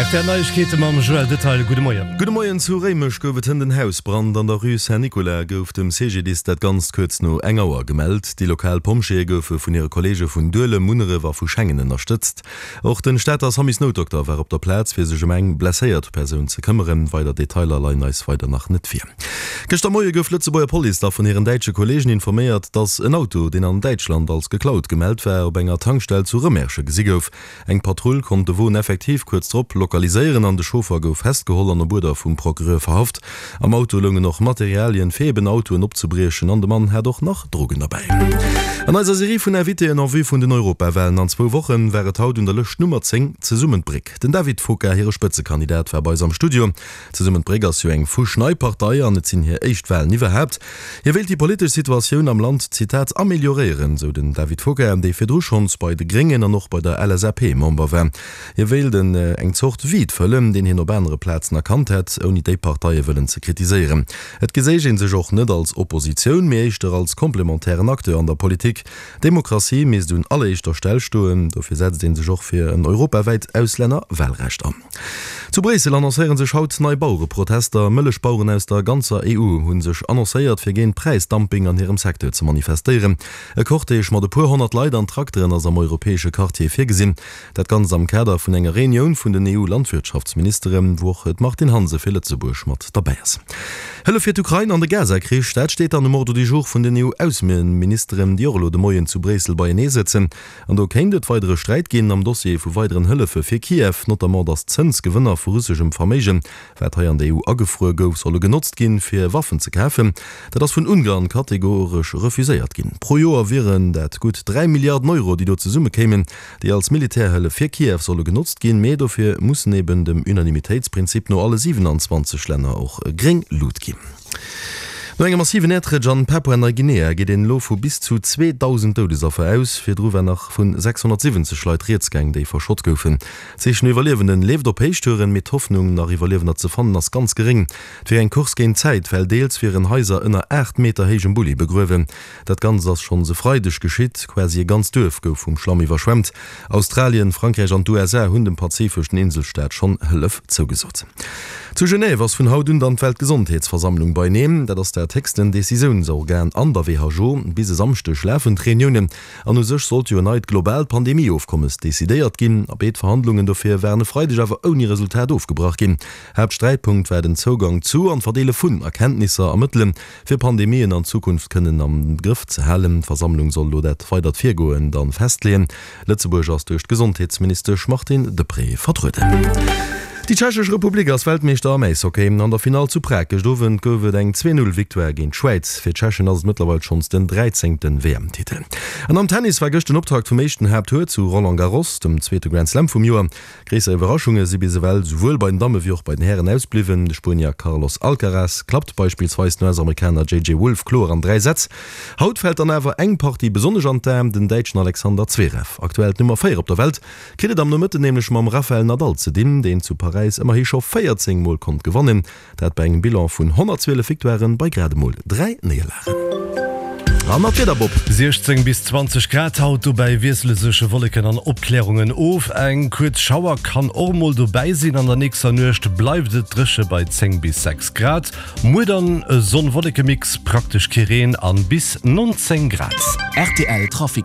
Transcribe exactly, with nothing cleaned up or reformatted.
R T L Neiegkeete mam Joël Detaille. Gudde Moien. Gudde Moien. Zu Réimech gouf et hënt en Hausbrand. An der Rue Saint-Nicolas gouf dem C G D I S dat Ganzt kuerz no eng Auer gemellt. Déi lokal Pompjeeë goufe vun hire Kolleege vun Duelem, Munneref a vu Schengen ënnerstëtzt. Och den Stater Samusnoutdokter war op der Plaz, fir sech ëm eng blesséiert Persoun ze këmmeren. Weider Detailer leien eis weider nach net vir. Gëschter Moie gouf d'Lëtzebuerger Police da vun hiren däitsche Kolleegen informéiert, dass en Auto, deen an Däitschland als geklaut gemellt war, op enger Tankstell zu Rëmersche gesi gouf. Eng Patrull konnt de Won effektiv kuerz drop lokaliséieren an de Chauffer gouf festgeholl an op Uerder vum Procureur verhaft. Am Auto loungen och Materialien, fir eben Autoen opzebriechen an de Mann hat och nach Drogen derbäi. An eiser Serie vun Invitéen en vue vun den Europawalen an zwou Wochen war et haut un der Lëscht Nummer zéng, Zesummen d'Bréck. Den David Foka, hire Spëtzekandidat, war bei eis am Studio. Zesummen d'Bréck ass jo eng fuschnei Partei an et sinn hir éischt Walen iwwerhaapt. Hie wéilt déi politesch Situatioun am Land, Zitat, amelioréieren, sou den David Foka, dee virdru schonns bei de Gréngen an och bei der L S A P Member war. Hie wéilt en eng Zort Vide fëllen, deen hien op anere Plazen erkannt hätt, ouni déi Parteie wëllen ze kritiséieren. Et geséich ee sech och net als Oppositioun, mee éischter als komplementären Acteur an der Politik. Demokratie misst un alleréischter Stell stoen, dofir setzt ee sech och fir en europawäit Auslännerwalrecht an. Zu Bréissel annoncéiere sech haut nei Bauereprotester. Mëllechbaueren aus der ganzer E U hu sech annoncéiert, fir géint Präisdumping an hirem Secteur ze manifestéieren. E Cortège mat e puer honnert Leit an Trakteren ass am europäesche Quartier virgesinn. Dat Ganzt am Kader vun enger Reunioun vun den E U-Landwirtschaftsministeren, wou och d'Martine Hansen fir Lëtzebuerg mat derbäi ass. Hëllef fir d'Ukrain an de Gaza-Krich, dat steet dann um Ordre du jour vun den E U-Ausseministeren, déi och elo de Moien zu Bréissel beienee sëtzen. An do kéint et weidere Sträit ginn am Dossier vu weideren Hëllefe fir Kiew, notamment datt Zënsgewënner vu russeschem Verméigen, wat hei an der E U agefruer gouf, solle genotzt ginn, fir Waffen ze kafen. Dat ass vun Ungarn kategoresch refuséiert ginn. Pro Joer wieren dat gutt dräi Milliarden Euro, déi do zesummekéimen, déi als Militärhëllef fir Kiew solle genotzt ginn, mee dofir mussen eben dem Unanimitéitsprinzip no alle siewenanzwanzeg Länner och gréng Luucht ginn. No engem massiven Äerdrutsch an Papua-Neiguinea geet een elo vu bis zu zweedausend Doudesaffer aus. Virdru war nach vu sechshonnertsiwwenzeg Leit rieds gaang, déi verschott goufen. D'Sich no Iwwerliewenden leeft op Héichtouren, mee d'Hoffnung, nach Iwwerliewender ze fannen, ass ganz geréng. Et wier eng Course géint d'Zäit, well deels wieren Haiser ënner aacht Meter héijem Bulli begruewen. Dat Ganzt ass schonns e Freideg geschitt. Quasi e ganzt Duerf gouf vum Schlamm iwwerschwemmt. Australien, Frankräich an d'U S A hunn dem pazifeschen Inselstaat schonn Hëllef zougesot. Zu Genève ass vun haut un dann d'Weltgesondheetsversammlung beieneen. Dat ass dat héchsten Decisiounsorgan an der W H O. Bis e Samschdeg lafen d'Reuniounen an u sech sollt jo en neit globaalt Pandemie-Ofkommes decidéiert ginn. A béid Verhandlungen dofir waren e Freideg awer ouni Resultat ofgebrach ginn. Haaptsträitpunkt war den Zougang zu an d'Verdeele vun Erkenntnisser a Mëttelen, fir Pandemien an Zukunft kënnen am Grëff ze halen. D'Versammlung soll elo dat weidert Virgoen dann festleeën. Lëtzebuerg ass duerch d'Gesondheetsministesch Martine Deprez vertrueden. Déi Tschechesch Republik ass Weltmeeschter am Äishockey. An der Finall zu Prag gëscht Owend gouf et eng zwee Null Victoire géint d'Schwäiz. Fir d'Tschechen ass et mëttlerweil schonns den dräizéngte W M-Titel. An am Tennis war gëscht den Optakt vum éischten Haapttour zu Roland Garros, dem zweete Grand Slam vum Joer. Gréisser Iwwerraschunge si bis ewell souwuel bei den Damme wéi och bei den Hären ausbliwwen. De Spuenier Carlos Alcaraz klappt beispillsweis den U S-Amerikaner J J Wolf kloer an dräi Sätz. Haut fält dann awer eng Partie besonnesch an d'Aen, den Däitschen Alexander Zverev, aktuell d'Nummer véier op der Welt, kritt et am Nomëtten nämlech mam Rafael Nadal ze dinn, deen zu Paräis ëmmerhi scho véierzéng Mol konnt gewannen, dat bei engem Bilan vun honnertzwielef Victoiren bei grad emol dräi Néierlagen. An nach d'Wieder, Bob. siechzéng bis zwanzeg Grad haut, dobäi wiessele sech Wolleken an Opklärungen of. Eng kuerz Schauer kann och mol dobäi sinn. An der nächster Nuecht bleift et dréche bei zéng bis sechs Grad. Muer dann e Sonn-Wolleke-Mix, praktesch kee Reen an bis nonzéng Grad. R T L Trafic.